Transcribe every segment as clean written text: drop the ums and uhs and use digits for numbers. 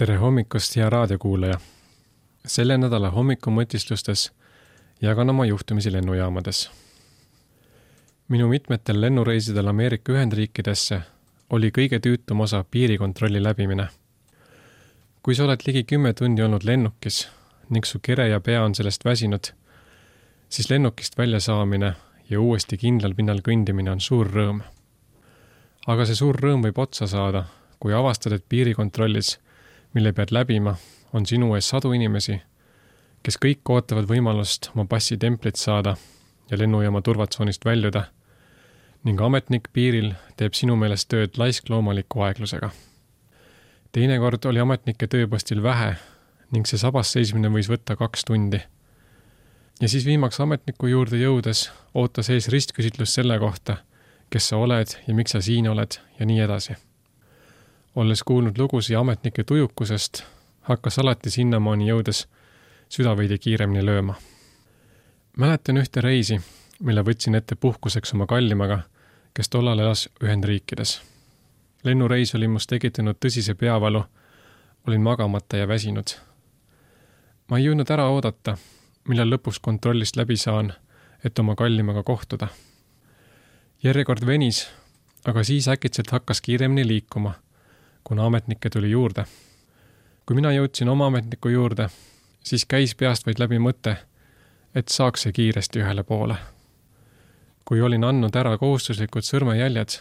Tere hommikust, hea raadiokuulaja! Selle nädala hommikumõtislustes jagan oma juhtumisi lennujaamades. Minu mitmetel lennureisidel Ameerika Ühendriikidesse oli kõige tüütum osa piirikontrolli läbimine. Kui sa oled ligi 10 tundi olnud lennukis ning su kere ja pea on sellest väsinud, siis lennukist välja saamine ja uuesti kindlal pinnal kõndimine on suur rõõm. Aga see suur rõõm võib otsa saada, kui avastad, et piirikontrollis, mille pead läbima, on sinu ees sadu inimesi, kes kõik ootavad võimalust oma passi templit saada ja lennujaama turvatsoonist väljuda, ning ametnik piiril teeb sinu meelest tööd laiskloomaliku aeglusega. Teinekord oli ametnike tööpostil vähe ning see sabas seismine võis võtta 2 tundi. Ja siis viimaks ametniku juurde jõudes ootas ees ristküsitlus selle kohta, kes sa oled ja miks sa siin oled ja nii edasi. Olles kuulnud lugusi ametnike tujukusest, hakkas alati sinnamaani jõudes süda veidi kiiremini lööma. Mäletan ühte reisi, mille võtsin ette puhkuseks oma kallimaga, kes tollal elas Ühendriikides. Lennureis oli must tekitanud tõsise peavalu, olin magamata ja väsinud. Ma ei jõudnud ära oodata, millal lõpuks kontrollist läbi saan, et oma kallimaga kohtuda. Järjekord venis, aga siis äkitselt hakkas kiiremini liikuma, kuna ametnikke tuli juurde. Kui mina jõudsin oma ametniku juurde, siis käis peast vaid läbi mõte, et saaks see kiiresti ühele poole. Kui olin andnud ära kohustuslikud sõrmejäljed,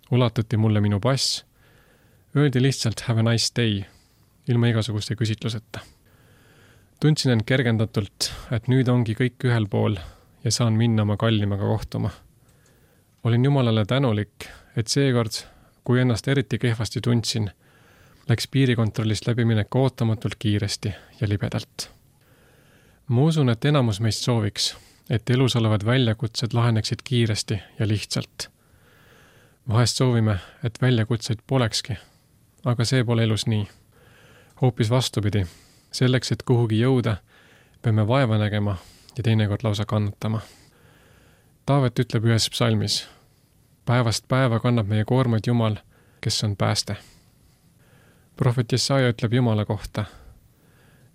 ulatuti mulle minu pass, öeldi lihtsalt have a nice day, ilma igasuguste küsitluseta. Tundsin end kergendatult, et nüüd ongi kõik ühel pool ja saan minna oma kallimaga kohtuma. Olin Jumalale tänulik, et seekord, kui ennast eriti kehvasti tundsin, läks piirikontrollist läbiminek ootamatult kiiresti ja libedalt. Ma usun, et enamus meist sooviks, et elus olevad väljakutsed laheneksid kiiresti ja lihtsalt. Vahest soovime, et väljakutseid polekski, aga see pole elus nii. Hoopis vastupidi, selleks, et kuhugi jõuda, peame vaeva nägema ja teinekord lausa kannatama. Taavet ütleb ühes psalmis, päevast päeva kannab meie koormaid Jumal, kes on pääste. Prohvet Jesaja ütleb Jumala kohta,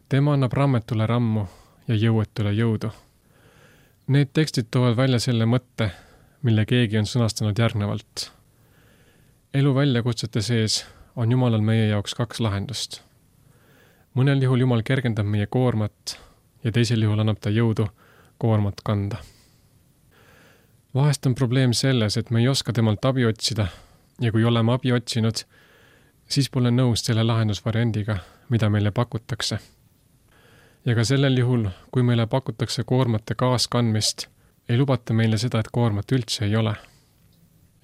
tema annab rammetule rammu ja jõuetule jõudu. Need tekstid toovad välja selle mõtte, mille keegi on sõnastanud järgnevalt. Elu väljakutsete sees on Jumalal meie jaoks 2 lahendust. Mõnel juhul Jumal kergendab meie koormat ja teisel juhul annab ta jõudu koormat kanda. Vahest on probleem selles, et me ei oska temalt abi otsida ja kui oleme abi otsinud, siis pole nõus selle lahendusvariandiga, mida meile pakutakse. Ja ka sellel juhul, kui meile pakutakse koormate kaaskandmist, ei lubata meile seda, et koormat üldse ei ole.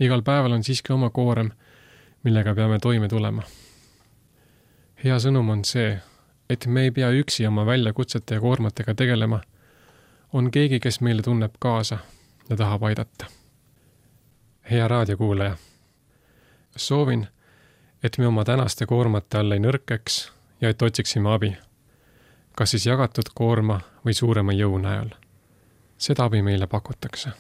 Igal päeval on siiski oma koorem, millega peame toime tulema. Hea sõnum on see, et me ei pea üksi oma väljakutsete ja koormatega tegelema. On keegi, kes meile tunneb kaasa ja tahab aidata. Hea raadiokuulaja, soovin, et me oma tänaste koormate all ei nõrkeks ja et otsiksime abi, kas siis jagatud koorma või suurema jõu näol. Seda abi meile pakutakse.